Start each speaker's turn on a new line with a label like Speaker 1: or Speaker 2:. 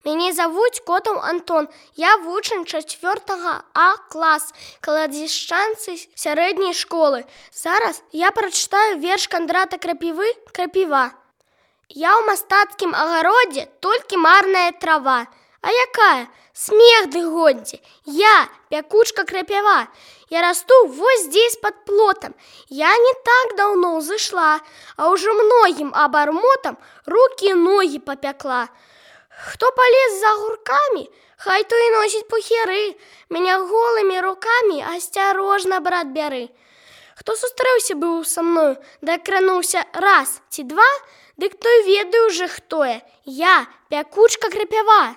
Speaker 1: Мяне завуць Котаў Антон. Я вучань 4 А клас Каладзішчанцы сярэдняй школы. Зараз я прачытаю верш Кандрата Крапівы «Крапіва». Я ў мастацкім агародзе толькі марная трава. А якая? Смех ды годзе. Я пякучка крапіва. Я расту вось здесь под плотом. Я не так давно ўзышла, а ўжо многім абармотам рукі і ногі папякла. Хто палез за гуркамі, хай то і носіць пухеры. Мяне голымі рукамі асцярожна, брат, бяры. Хто сустрэўся быў са мною, дакрануўся раз ці два, дык той ведаю уже хто я. Я пякучка крапіва.